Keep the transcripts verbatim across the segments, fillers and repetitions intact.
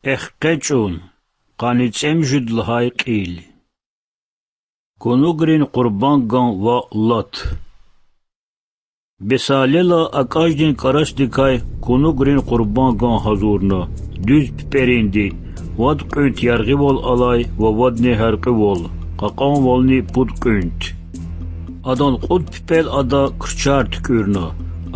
Эхкъечӏун, къанни цӏемуьжуьд лагьай кьил. Кунугрин къурбанган ва лат. Бесалела акӏаждин кӏарасдикай кунугрин къурбанган гьазурна, дуьз пипӏеринди, вад кьуьнт яргъивал алай ва вадни гьяркьуьвал, кьакьанвални пуд кьуьнт. Адан кьуд пипӏел ада крчар туькӏуьрна,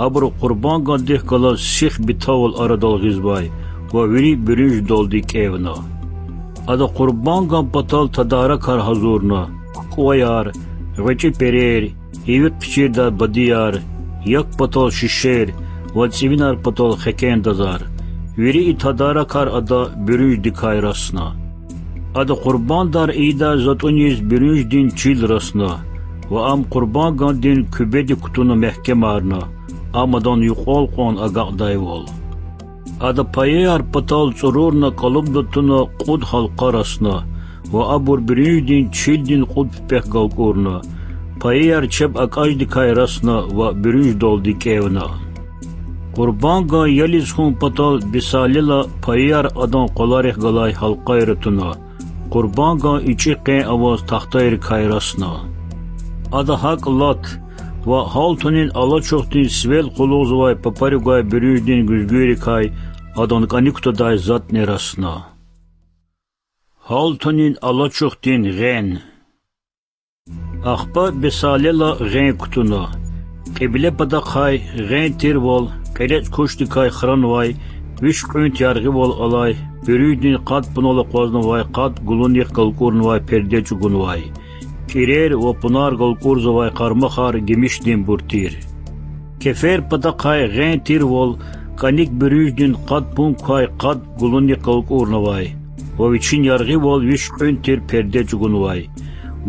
абуру къурбангандихъ галаз сих битавал арадал гъизвай ва вири буьруьнждалди кӏевна. Ада къурбанган патал тадаракар гьазурна: кукӏваяр, гъвечӏи перер, иви хъичирдай бадияр, як патал шишер ва цӏивинар патал хекендазар. Вири и тадаракар ада буьруьнждикай расна. Ада къурбандар ийидай затӏуниз буьруьнждин чил расна ва ам къурбангандин куьбедик кутуна мягькемарна, ам адан юкьвал кьван агакьдайвал. Ада паяяр патал цӏурурна кӏалубда туна кьуд гьалкъа расна ва абур буьруьнждин чилдин кьуд пипӏехъ галкӏурна, паяяр чеб акӏаждикай расна ва буьруьнждалди кӏевна. Къурбанган ялиз хьун патал Бесалела паяяр адан къваларихъ галай гьалкъайра туна, къурбанган ичӏи къен аваз тахтайрикай расна. Ада гьакӏ лат ва гьалтунин алачухдин сивел къуллугъзавай папари гвай буьруьнждин гуьзгуьрикай адан кӏаник кутадай затӏни расна. Гьалтунин алачухдин гъен. Ахпа Бесалела гъен кутуна. Кьибле патахъай гъен тирвал кьелечӏ кушдикай хранвай, виш кьуьнт яргъивал алай, буьруьнждин къад пунал акъвазнавай къад гулунихъ галкӏурнавай перде чӏугунвай, кӏирер ва пунар галкӏурзавай къармахар гимишдинбур тир. Кефер патахъай гъен тирвал кӏаник буьруьнждин къад пун квай къад гулунихъ галкӏурнавай ва вичин яргъивал виш кьуьнт тир перде чӏугунвай,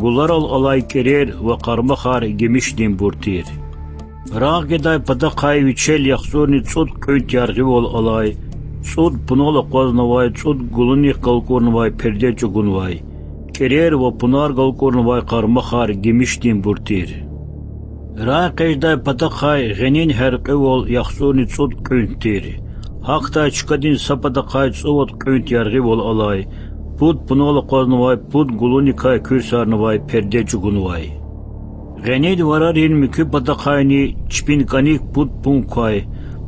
гуларал алай кӏирер ва къармахар гимишдинбур тир. Рагъ гедай патахъай вичел яхцӏурни цӏуд кьуьнт яргъивал алай, цӏуд пунал акъвазнавай цӏуд гулунихъ галкӏурнавай перде чӏугунвай, кӏирер ва пунар галкӏурнавай къармахар гимишдинбур тир. Рагъ экъечӏдай патахъай гъенин гьяркьуьвал яхцӏурни цӏуд кьуьнт тир. Гьахьдай чкадин са патахъай цӏувад кьуьнт яргъивал алай, пуд пунал акъвазнавай пуд гулуникай куьрсарнавай перде чӏугунвай. Гъенин варарин муькуь патахъайни чпин кӏаник пуд пун квай,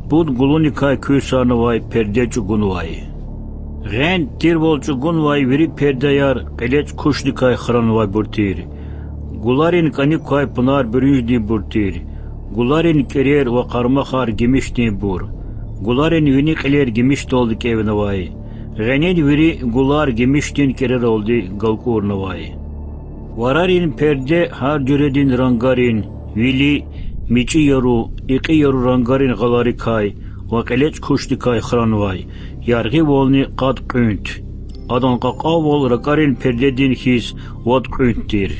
пуд гулуникай куьрсарнавай перде чӏугунвай. Гъен тирвал чӏугунвай вири пердеяр кьелечӏ кушдикай хранвайбур тир. Гуларин кӏаник квай пунар буьруьнждинбур тир. Гуларин кӏирер ва къармахар гимишдинбур. Гуларин вини кьилер гимишдалди кӏевнавай. Гъенин вири гулар гимишдин кӏирералди галкӏурнавай. Варарин перде гьар жуьредин рангарин, вили, мичӏи яру, икьи яру рангарин гъаларикай ва кьелечӏ кушдикай хранвай, яргъивални къад кьуьнт. Адан кьакьанвал ракӏарин пердедин хьиз вад кьуьнт тир.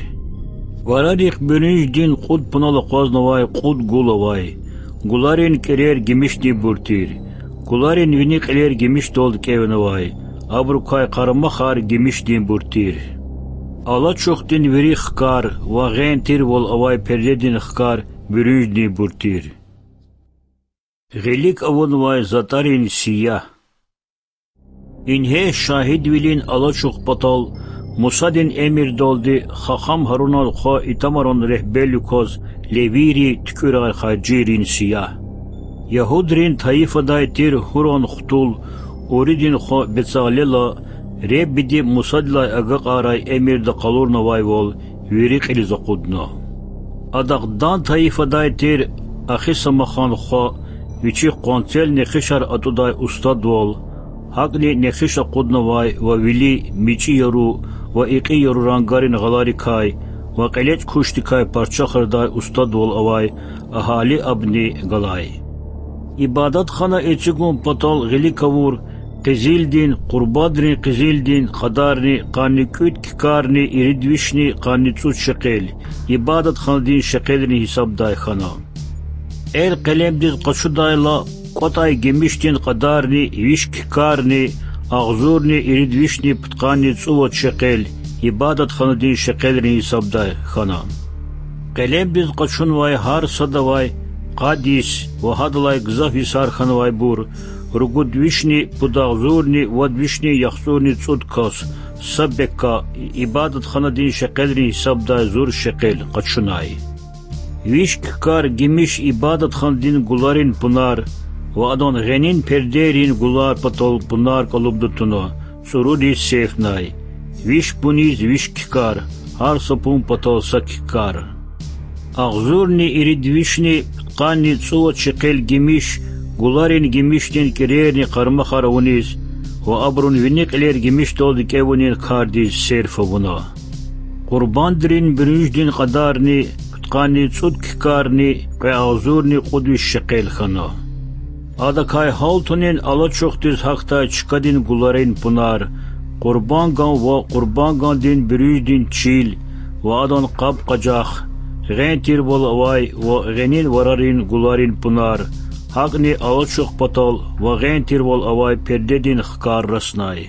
Варарихъ буьруьнждин кьуд пунал акъвазнавай кьуд гул авай. Гуларин кӏирер гимишдинбур тир. Гуларин вини кьилер гимишдалди кӏевнавай, абурукай къармахар гимишдинбур тир. Алачухдин вири хкар ва гъен тирвал авай пердедин хкар буьруьнждинбур тир. Гъилик авунвай затӏарин сиягь. Ингье шагьидвилин алачух патал Мусадин эмирдалди хахам Гьарунан хва Итамаран регьбервилик кваз левийри туькӏуьрай харжийрин сиягь. Ягьудрин тайифадай тир Гьуран хтул, Уридин хва Бецалела Реббиди Мусадилай агакьарай эмирда къалурнавайвал вири кьилиз акъудна. Адахъ Дан тайифадай тир Ахисамахан хва, вичихъ къванцел нехишар атӏудай устадвал, гьакӏни нехиш акъуднавай ва вили, мичӏи яру ва икьи яру рангарин гъаларикай ва кьелечӏ кушдикай парчахрадай устадвал авай Агьалиабни галай. Ибадатхана эцигун патал гъилик авур къизилдин, къурбандрин къизилдин кьадарни къанни кӏуьд кикарни ирид вишни къанни цӏуд шекел, ибадатханадин шекелрин гьисабдай хьана. Эл-къелемдиз къачудайла кӏватӏай гимишдин кьадарни виш кикарни агъзурни ирид вишни пудкъанни цӏувад шекел, ибадатханадин шекелрин гьисабдай хьана. Къелемдиз къачунвай гьар садавай къад йис ва гьадалай гзаф йисар хьанвайбур, ругуд вишни пудагъзурни вад вишни яхцӀурни цӀуд кас, са бекка, ибадатханадин шекъелрин гьисабдай зур шекъел къачунай. Виш ккар гимиш ибадатханадин гуларин пунар ва адан гъенин пердейрин гулар патал пунар кӀалубда туна, цӀуруриз сейфнай. Виш пуниз виш ккар, гьар са пун патал са ккар. Агъзурни ирид вишни пудкъанни цӀувад шекъел гимиш гуларин гимишдин кӀерейрини къармахар авуниз ва абурун вини кьилер гимишдалди кӀевунин кардиз серф авуна. Къурбандрин буьруьждин кьадарни пудкъанни цӀуд ккарни кьве агъзурни кьуд виш шекъел хьана. Адакай гьалтунин алачухдиз гьахьдай чкадин гуларин пунар, къурбанган ва къурбангандин буьруьждин чил ва адан къаб-къажах, гъен тирвал авай ва гъенин варарин гуларин пунар, гьакӀни алачух патал ва гъен тирвал авай пердедин хкар раснай.